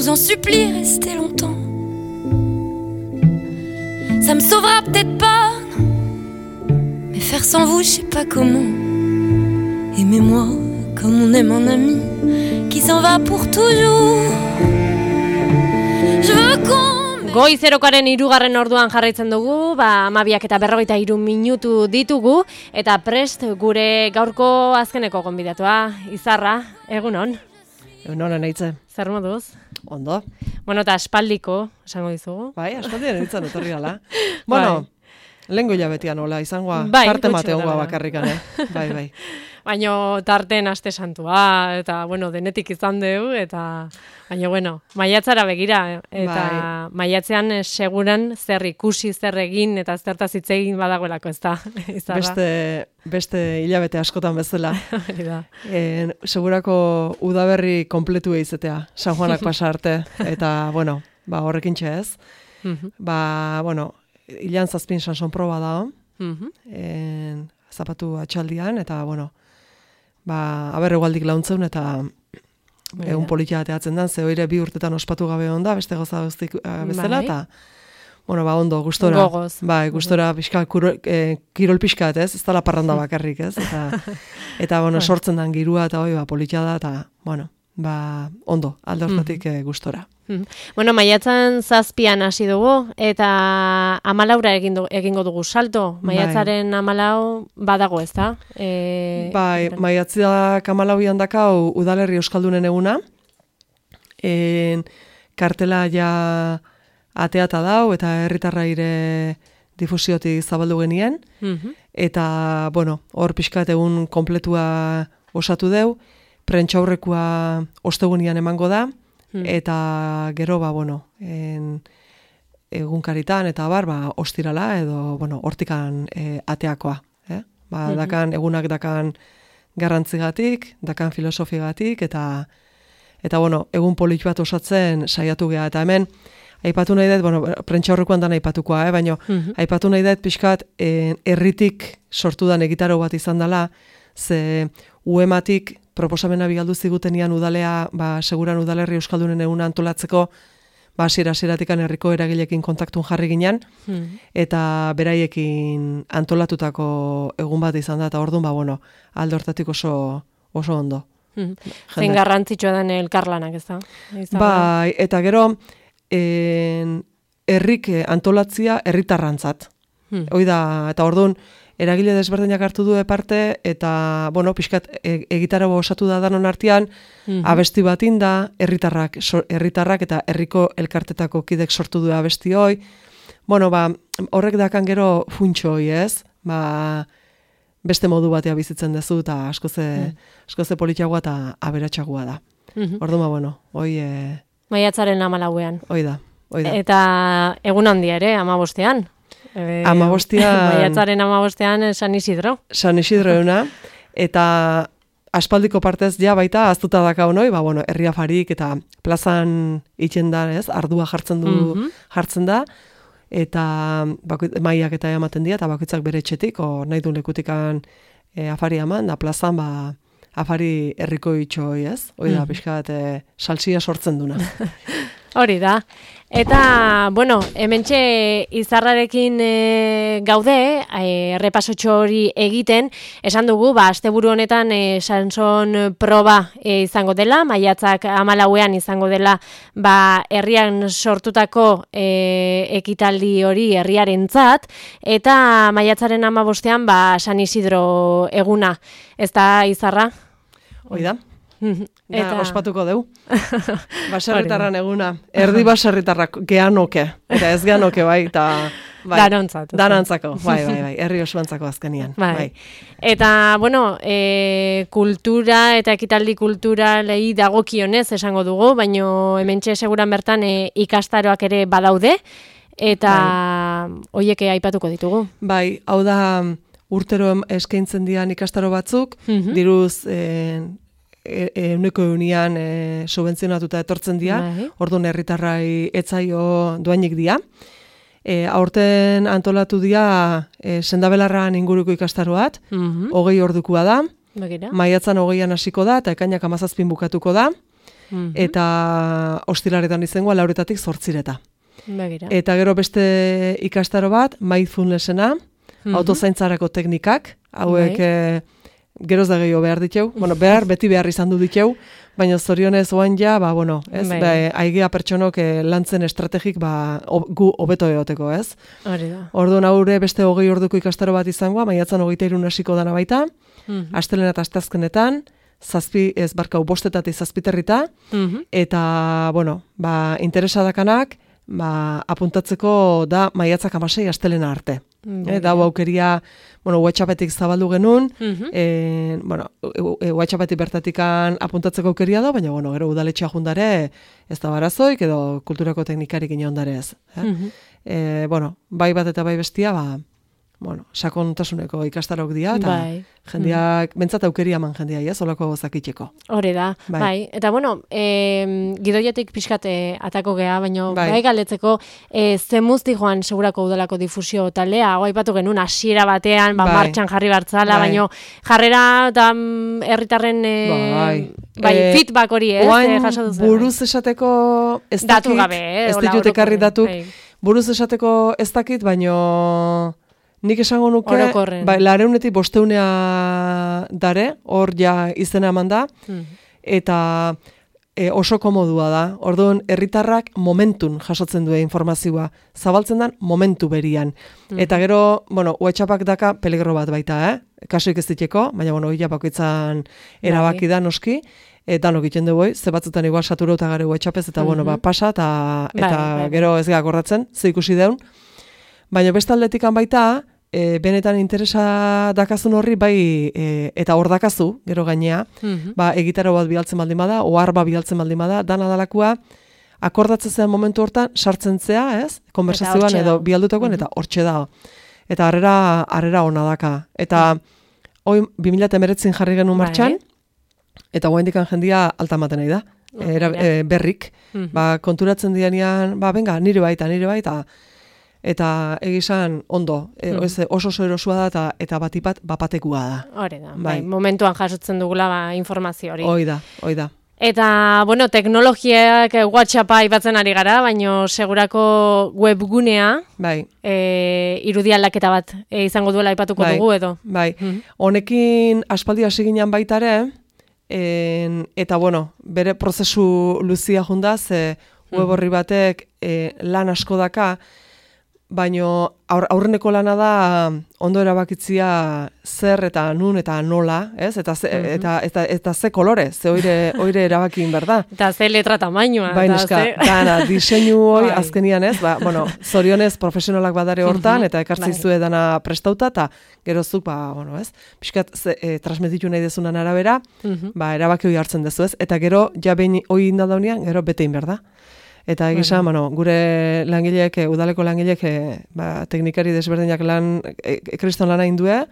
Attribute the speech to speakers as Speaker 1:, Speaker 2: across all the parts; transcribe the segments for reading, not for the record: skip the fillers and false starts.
Speaker 1: vous en supplie, restez longtemps. Ça me sauvera peut-être pas, non. Mais faire sans vous, je sais pas comment. Aimez-moi comme on aime un ami qui s'en va pour toujours. Je veux qu'on...
Speaker 2: Goizerokaren 3. orduan jarraitzen dugu, 12:43 minutu ditugu, eta prest gure gaurko azkeneko gonbidatua, Izarra, egunon.
Speaker 3: Egunon, anaitze.
Speaker 2: Zer moduz?
Speaker 3: Ondo.
Speaker 2: Bueno, eta aspaldiko, esango dizugu.
Speaker 3: Bai, aspaldien nintzen etorri gala. Bueno, lehengo hilabetian hola, izangoa,
Speaker 2: bai,
Speaker 3: tarte mateongoa bakarrikan, bai.
Speaker 2: Baina tarten aste santua, eta, bueno, denetik izan dugu, eta, baina, bueno, maiatzara begira, eta maiatzean seguran zer ikusi, zer egin, eta zertaz hitz egin badagoelako, ez da, Izarra.
Speaker 3: Beste hilabete askotan bezala. Segurako udaberri kompletu izatea, San Juanak pasa arte, eta, bueno, horrekin ez. Bueno, hilan 7 Sanson proba da, zapatu atxaldian, eta, bueno, aber egualdik launtzeun, eta egun politia ateatzen den, ze oire 2 urtetan ospatu gabe onda, beste goza bezala, eta, bueno, ondo, gustora.
Speaker 2: Gogoz.
Speaker 3: Gustora pixka, kirol pixkat, ez dala parranda bakarrik, ez? Eta, bueno, sortzen den girua, eta politia da, eta, bueno, ondo, alde hortatik gustora.
Speaker 2: Bueno, maiatzan 7 hasi dugu, eta 14 egingo dugu salto. Maiatzaren 14 badago, ez da?
Speaker 3: Maiatziak 14 dakau udalerri euskaldunen eguna. Kartela ja ateata dau, eta herritarraire difusiotik zabaldu genien. Eta, bueno, hor pixkat egun kompletua osatu deu, prentxaurrekoa ostegunian emango da, eta gero, bueno, egunkaritan, eta ostirala, edo, bueno, hortikan ateakoa. Egunak dakan garrantzigatik, dakan filosofiagatik, eta, bueno, egun polit bat osatzen saiatu geha. Eta hemen, aipatu nahi dut, bueno, prentxaurrekoan da aipatukoa, baina aipatu nahi dut pixkat herritik sortudan egitaro bat izan dela, ze uematik proposamena bigaldu zigutenian udalea, seguran udalerri euskaldunen eguna antolatzeko, hasiera-hasieratik herriko eragilekin kontaktun jarri ginen, eta beraiekin antolatutako egun bat izan da, eta orduan, bueno, alde hortatik oso ondo.
Speaker 2: Zein garrantzitsua den elkarlanak, ez da?
Speaker 3: Bai, eta gero, herrik antolatzia herritarrantzat. Hoi da, eta orduan, eragile desberdinak hartu du parte, eta, bueno, pixkat egitarago osatu da danon artean, abesti bat inda, herritarrak eta herriko elkartetako kidek sortu du abesti hoi. Bueno, horrek dakan gero funtxoi, ez? Beste modu batea bizitzen dezu, eta askoze politiagoa eta aberatsagoa da. Orduan, bueno, hoi...
Speaker 2: Maiatzaren 14ean.
Speaker 3: Hoi da.
Speaker 2: Eta egun handia ere, 15ean.
Speaker 3: 15ean...
Speaker 2: Maiatzaren 15ean San Isidro.
Speaker 3: San Isidro euna, eta aspaldiko partez ja baita aztuta dakau noi, bueno, herriafarik eta plazan itxen da, ez, ardua jartzen da, eta maiak eta ematen dira, eta bakoitzak bere etxetik, nahi du lekutikan afari eman, da plazan, afari herriko itxoi, ez? Hoi da, pixkat, salsia sortzen duna.
Speaker 2: Hori da. Eta, bueno, hementxe Izarrarekin gaude, errepasotxo hori egiten, esan dugu, asteburu honetan Sanson proba izango dela, maiatzak 14ean izango dela, herrian sortutako ekitaldi hori herriarentzat, eta maiatzaren 15ean San Isidro eguna. Ez da, Izarra?
Speaker 3: Hoi da. Eta ospatuko deu. Baserritarran eguna. Erdi baserritarrak geanoke. Eta ez geanoke, bai. Danantzako. Bai. Herri osoantzako azkenian. Bai.
Speaker 2: Eta, bueno, kultura eta ekitaldi kulturalei dagokionez esango dugu, baino hementxe seguran bertan ikastaroak ere badaude, eta hoiek aipatuko ditugu.
Speaker 3: Bai, hau da urtero eskaintzen dian ikastaro batzuk, diruz... Euneko eunian subentzionatuta etortzen dira, orduan herritarrai etzaio duainik dira. Aurten antolatu dira Sendabelarran inguruko ikastaroat, 20 ordukoa da, maiatzan 20an hasiko da, eta ekainak 17 bukatuko da. eta ostilaretan izangoa 4:00
Speaker 2: Begira.
Speaker 3: Eta gero beste ikastaro bat, mindfulnessena, autozaintzarako teknikak, hauek geroz da gehiago behar diteu, beti behar izan du diteu, baina zorionez oan ja, aigea pertsonok lantzen estrategik gu hobeto egoteko, ez?
Speaker 2: Hori da.
Speaker 3: Orduan haure beste 20 orduko ikastaro bat izangoa, maiatzan 23 hasiko dana baita, astelena eta asteazkenetan, 5:00 7:00 eta, interesadakanak, apuntatzeko da maiatzak 16 astelena arte. Da aukeria, WhatsAppetik zabaldu genuen, WhatsAppetik bertatikan apuntatzeko aukeria da, baina, gero udaletxea jundare ez da barazoik, edo kulturako teknikarik inondare ez. Bai bat eta bai bestia, sakontasuneko ikastarok dira, eta jendeak, bentsat aukeria eman jendia, olako gozakitxeko.
Speaker 2: Hori da, bai. Eta, gidoietik pixkat atako geha, baina bai galetzeko, zemuzti joan segurako udalako difusio taldea, aipatu genuen hasiera batean, martxan jarri bartzala, baina jarrera eta herritarren feedback hori, ez?
Speaker 3: Oain buruz esateko ez dakit, ez ditut ekarri datuk, buruz esateko ez dakit, baina nik esango nuke, 200-etik 500 dare, hor ja izena eman da, eta oso komodua da. Orduan, herritarrak momentun jasotzen du informazioa. Zabaltzen dan momentu berian. Eta gero, WhatsAppak daka peligro bat baita, kasuik ez diteko, baina, hila bakoitzan erabaki da noski, eta egiten dugu, ze batzutan igual saturauta gare WhatsAppez, eta pasa, eta gero ez geha gorratzen, ze ikusi deun. Baina beste aldetikan baita, benetan interesa dakazun horri bai, eta hor dakazu, gero gainea, egitaro bat bialtzen baldin bada, ohar bat bialtzen baldin bada, dana dalakoa, akordatzen zean momentu hortan, sartzen zea, ez? Konversazioan edo bialdutakoan, eta hortxe da. Eta harrera hona daka. Eta, hoi, 2019 jarri genuen martxan, eta guaindikan jendia altamaten nahi da. Berrik. Konturatzen dianean, nire baita, eta egizan ondo, oso erosua da eta batipat bapatekua da.
Speaker 2: Hori da, momentuan jasotzen dugula informazio hori.
Speaker 3: Hoi da.
Speaker 2: Eta, teknologiak WhatsAppa ibatzen ari gara, baina segurako webgunea, irudi aldaketa bat izango duela aipatuko dugu edo.
Speaker 3: Honekin aspaldi hasi ginen baitare, eta bere prozesu luzia jundaz, web horri batek lan asko daka, baina aurreneko lana da ondo erabakitzia zer eta nun eta nola, ez? Eta ze kolore, ze oire erabakin berda.
Speaker 2: Eta ze letra tamainoa.
Speaker 3: Dana, diseinu hoi azkenian, ez? Zorionez profesionalak badare hortan, eta ekartzizue dana prestauta, eta gerozuk, ez? Piskat, transmititu nahi dezunan arabera, erabaki hoi hartzen dezu, ez? Eta gero, ja behin hoi indaldaunean, gero betein berda. Eta egizan, gure langileek, udaleko langileek, teknikari desberdinak kriston lana indue,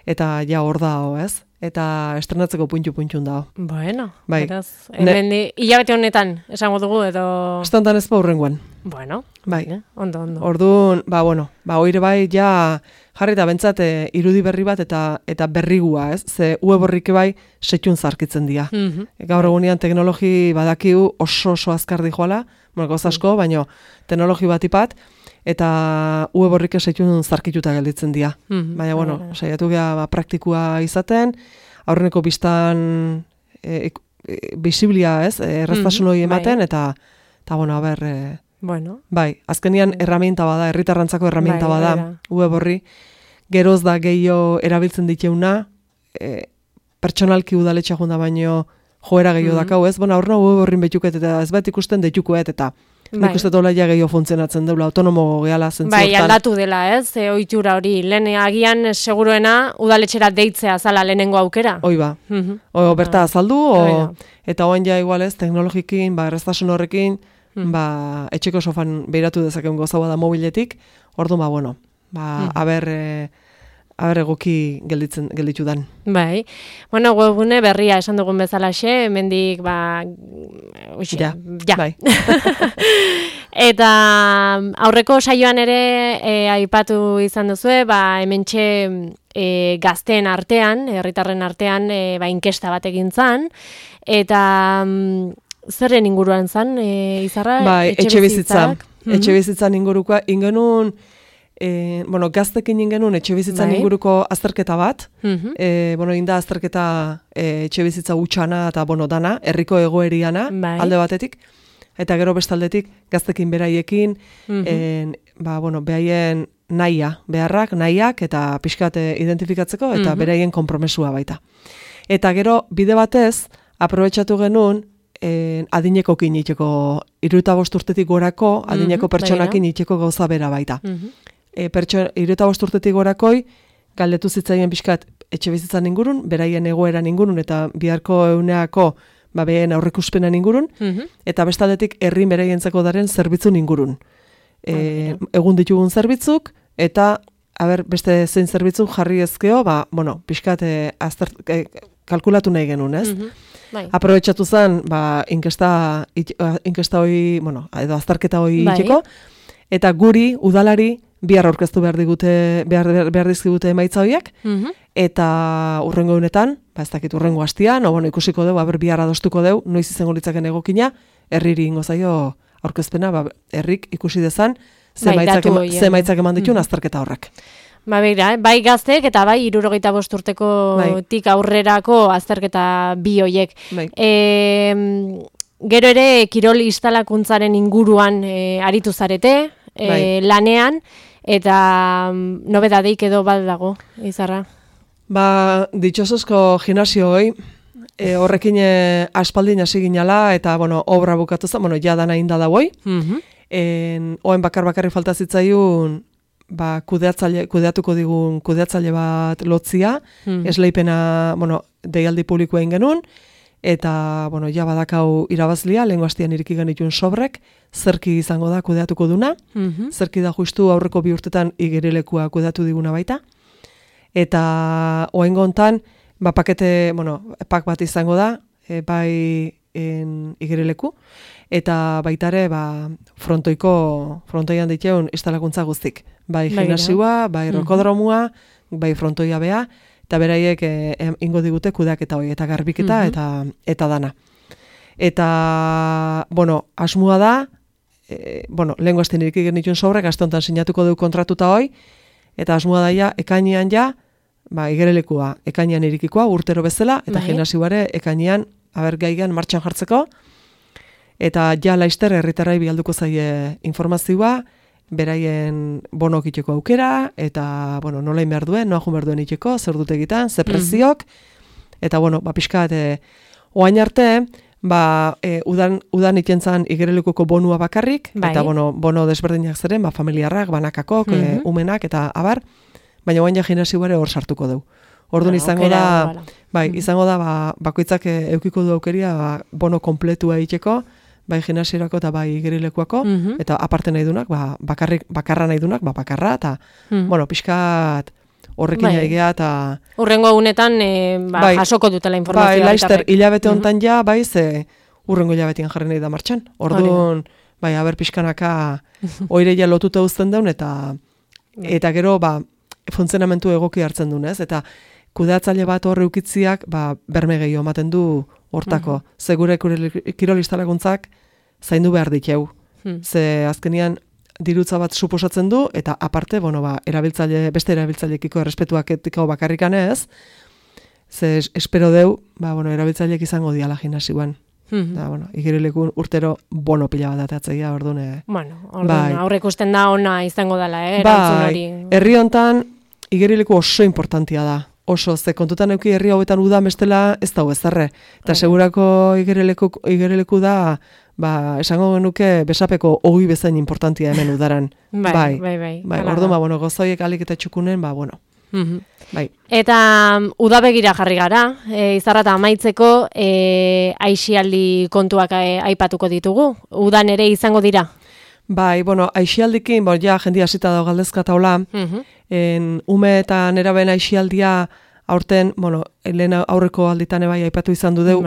Speaker 3: eta ja hor da, ez? Eta estrenatzeko puntu-puntun da.
Speaker 2: Bueno, beraz, hilabete honetan, esango dugu, edo...
Speaker 3: Estantan ez urrengoan.
Speaker 2: Bueno, ondo.
Speaker 3: Orduan, oire bai, ja, jarri eta bentsat, irudi berri bat eta berrigua, ez? Ze web horrik bai, setxun zarkitzen dira. Gaur egunean teknologi badakiu oso azkar dijoala, goz asko, baina teknologi batipat, eta web horrik setxun zarkituta gelditzen dira. Baina, saiatu geha praktikua izaten, aurreneko biztan bisiblia, ez? Erraztasun hori ematen, eta azkenian erraminta bada, herritarrantzako erraminta bada, web horri, geroz da gehiago erabiltzen diteuna, pertsonalki udaletxa junda baino joera gehiago dakau, ez? Aurrena web horrin betuket, eta ez bat ikusten detukuet, eta nik uste dola ja gehiago funtzionatzen deula, autonomo gehala zentzu hortan.
Speaker 2: Aldatu dela, ez? Ohitura hori, lehen agian seguruena udaletxera deitzea zala lehenengo aukera.
Speaker 3: Hoi ba. Berta azaldu, eta oan ja igual ez, teknologikin, erraztasun horrekin, etxeko sofan behiratu dezakeun gozaua da mobiletik, orduan, aber egoki gelditu dan.
Speaker 2: Bai. Bueno, webgune berria esan dugun bezalaxe, hemendik
Speaker 3: ja. Bai.
Speaker 2: Eta aurreko saioan ere aipatu izan duzue, hementxe gazteen artean, herritarren artean, inkesta bat egin zan, eta zerren inguruan zan, Izarra?
Speaker 3: Etxebizitzak. Etxebizitzan ingurukoa, ingenun, gaztekin ingenun etxebizitzan inguruko azterketa bat, inda azterketa etxebizitza utxana eta dana, herriko egoeriana, alde batetik, eta gero bestaldetik gaztekin beraiekin, behaien nahiak eta pixkat identifikatzeko, eta beraien konpromesua baita. Eta gero, bide batez, aprobetxatu genuen, adinekokin itxeko, 75 urtetik gorako, adineko pertsonakin itxeko gauza bera baita. 75 urtetik gorakoi, galdetu zitzaien pixkat etxebizitzan ingurun, beraien egoeran ingurun, eta biharko euneako behien aurrekuspenan ingurun, eta bestaldetik herrin beraientzako daren zerbitzun ingurun. Egun ditugun zerbitzuk, eta beste zein zerbitzuk jarri ezkeo, pixkat kalkulatu nahi genuen, ez? Aprobetxatu zen, inkesta hoi, edo azterketa hoi itxeko, eta guri, udalari, bihar aurkeztu behar dizkigute emaitza horiek, eta urrengo honetan, ez dakit urrengo hastian, ikusiko dugu, bihar adostuko dugu, noiz izango litzaken egokina, herriri ingo zaio aurkezpena, herrik ikusi dezan, ze maitzak eman ditun azterketa horrek.
Speaker 2: Bai gaztek eta bai 75 urtekotik aurrerako azterketa bi hoiek. Gero ere kirol instalakuntzaren inguruan aritu zarete, lanean, eta nobedadeik edo bat dago, Izarra?
Speaker 3: Ditxosozko gimnasio hoi, horrekin aspaldin hasi ginala, eta obra bukatu zen, jadana inda da hoi. Oen bakarri falta zitzaiun, kudeatuko digun kudeatzaile bat lotzia, esleipena, deialdi publikoa ingenun, eta, ja badakau irabazlia, lehenko hastian iriki genituen sobrek, zerki izango da kudeatuko duna, zerki da justu aurreko 2 urtetan igerilekua kudeatu diguna baita, eta oengo hontan, pakete, pak bat izango da, bai igerileku, eta baitare frontoian diteun instalakuntza guztik. Bai gimnasioa, bai rokodromua, bai frontoia bea, eta beraiek ingo digute kudeaketa hori, eta garbiketa eta dana. Eta, asmua da, lehenko hasten iriki genituen sobrek, aste honetan sinatuko dugu kontratuta hoi, eta asmua daia, ekainean igerilekua, ekainean irikikoa, urtero bezala, eta gimnasioare ekainean, gaigan martxan jartzeko, eta laister herritarrai bialduko zaie informazioa, beraien bonok itxeko aukera, eta, nolain behar duen, noa jun behar duen itxeko, zer dut egitan, ze preziok, eta, pixkat, oain arte, udan itentzan igerilekuko bonua bakarrik, eta, bono desberdinak zeren, familiarrak, banakakok, umenak, eta abar, baina oain gimnasioare hor sartuko dugu. Orduan izango da, izango da, bakoitzak eukiko du aukeria, bono kompletua itxeko, bai gimnasiorako eta bai igerilekuako, eta aparte nahi dunak, bakarra nahi dunak, bakarra, eta, pixkat horrekin egea, eta...
Speaker 2: Urrengo egunetan, jasoko dutela informazioa.
Speaker 3: Laister, hilabete hontan ze urrengo hilabetean jarri nahi da martxan. Orduan, pixkanaka oireia lotuta uzten daun, eta gero, funtzionamentu egoki hartzen dunez, eta kudeatzaile bat horre ukitziak, berme gehiago ematen du hortako. Segure kirol instalakuntzak zaindu behar diteu. Ze azkenian dirutza bat suposatzen du, eta aparte, beste erabiltzailekiko errespetuaketiko bakarrikan ez, ze espero deu, erabiltzaileek izango diala gimnasioan. Igerilekun urtero bono pila bat ateatzeia, orduan.
Speaker 2: Aurre ikusten da ona izango dela, erantzun hori.
Speaker 3: Herri hontan, igerileku oso importantia da. Oso, ze kontutan euki herri hauetan uda bestela ez dago ezarre. Eta segurako igerileku da, esango genuke besapeko ogi bezain importantia hemen udaran. Bai. Orduan, gozoiek alik eta txukunen, bai.
Speaker 2: Eta udabegira jarri gara, Izarra eta amaitzeko aisialdi kontuak aipatuko ditugu. Udan ere izango dira?
Speaker 3: Bai, bueno, aixialdikin, ja, jendia hasita dago galdezka taula, ume eta neraben aixialdia aurten, bueno, lehen aurreko alditan ebai aipatu izan du deu,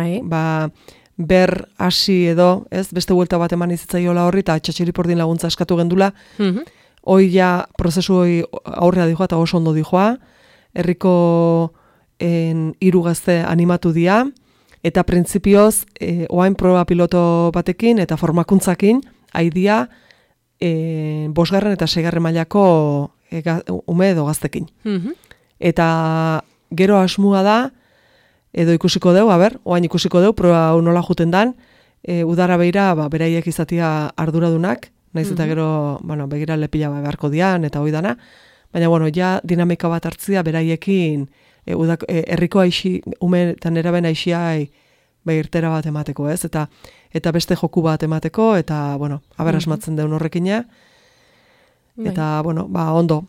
Speaker 3: ber hasi edo, ez, beste buelta bat eman izitzaiola horri, eta txatxiripordin laguntza eskatu gendula, hoi ja prozesu hoi aurrea dijoa eta oso ondo dijoa, herriko hiru gazte animatu dia, eta printzipioz, oain proba piloto batekin eta formakuntzakin, haidia, 5. eta 6. mailako ume edo gaztekin. Eta gero asmua da, edo ikusiko deu, oain ikusiko deu, proba nola juten dan, udara beira, beraiek izatia arduradunak, naiz eta gero, begira lepila beharko dian, eta hoi dana, baina, ja dinamika bat hartzia beraiekin, herriko ume eta neraben aixiai, irtera bat emateko, ez? Eta beste joku bat emateko, eta, asmatzen deun horrekina. Eta, ondo.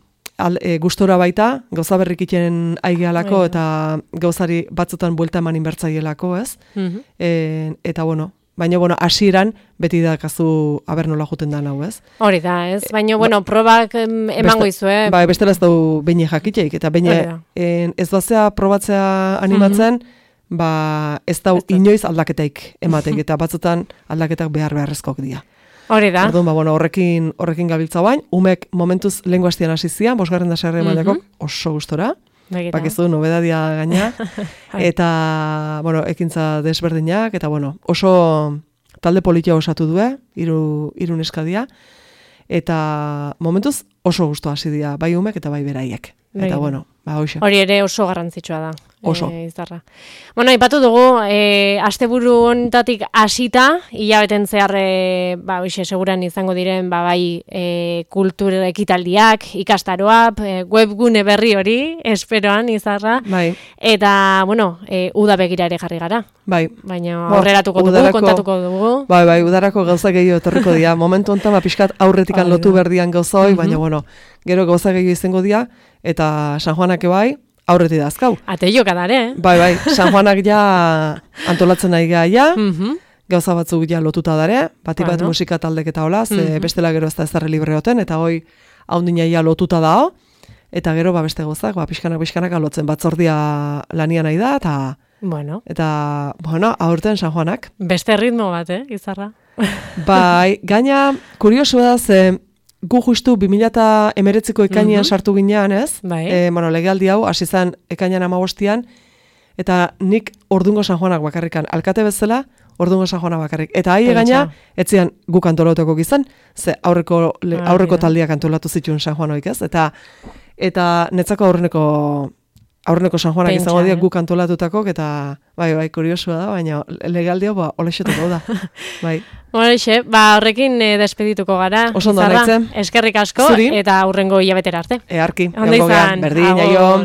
Speaker 3: Gustora baita, gauza berrik iten aigealako, eta gauzari batzutan buelta eman inbertzaielako, ez? Eta, baina, hasieran beti dakazu nola juten dan hau, ez?
Speaker 2: Hori da, ez? Baina, probak emango izu,
Speaker 3: Bai, bestela ez du beine jakiteik, eta beine ez dazea probatzea animatzen, ez da inoiz aldaketaik emateik, eta batzutan aldaketak beharrezkoak dira.
Speaker 2: Hori da.
Speaker 3: Orduan, horrekin gabiltza bain, umek momentuz lehengo hastian hasi zian, 5. eta 6. mailako oso gustora, bakizu, nobedadia gaina, eta, ekintza desberdinak, eta, oso talde politia osatu due, hiru neskadia, eta momentuz oso gustu hasi dira, bai umek eta bai beraiek. Eta, hoxe.
Speaker 2: Hori ere oso garrantzitsua da.
Speaker 3: Oso.
Speaker 2: Izarra. Ipatu dugu, asteburu honetatik hasita, hilabeten zehar, seguran izango diren, bai, kultur ekitaldiak, ikastaroak, webgune berri hori, esperoan, Izarra.
Speaker 3: Bai.
Speaker 2: Eta, uda begira ere jarri gara.
Speaker 3: Bai.
Speaker 2: Baina horreratuko dugu, kontatuko dugu.
Speaker 3: Bai, udarako gauza gehiago etorriko dira. Momentu honetan, pixkat aurretikan lotu berdian gauza hoi, baina, gero gauza gehiago izango dira, eta San Juanak bai, aurreti da azkau.
Speaker 2: Ateio kadare,
Speaker 3: Bai, San Juanak ja antolatzen nahi ja, gauza batzuk ja lotuta dare, bat musika taldek eta hola, bestela gero ez da ezarri libre hoten, eta hoi haundina ja lotuta dao, eta gero beste gauzak, pixkanak alotzen, batzordia lanian nahi da, eta, aurten San Juanak.
Speaker 2: Beste ritmo bat, Izarra?
Speaker 3: Bai, gaina, kurioso da, gu justu 2019ko ekainean sartu ginean, ez?
Speaker 2: Bai.
Speaker 3: Legealdi hau, hasi zen ekainean 15, eta nik Ordungo San Juanak bakarrikan, alkate bezala, Ordungo San Juanak bakarrik. Eta ahi gaina, etzian guk antolatuko gizan, ze aurreko taldiak antolatu zituen San Juanoik, ez? Eta netzako aurreneko San Juanak izango dira guk antolatutakok, eta bai, kuriosua da, baina legaldi hau olexetuko da. Bai.
Speaker 2: Horrekin despedituko gara.
Speaker 3: Oso ondo naitzen.
Speaker 2: Eskerrik asko, eta aurrengo hilabetera arte.
Speaker 3: Earki.
Speaker 2: Ondo izan.
Speaker 3: Berdin, aio.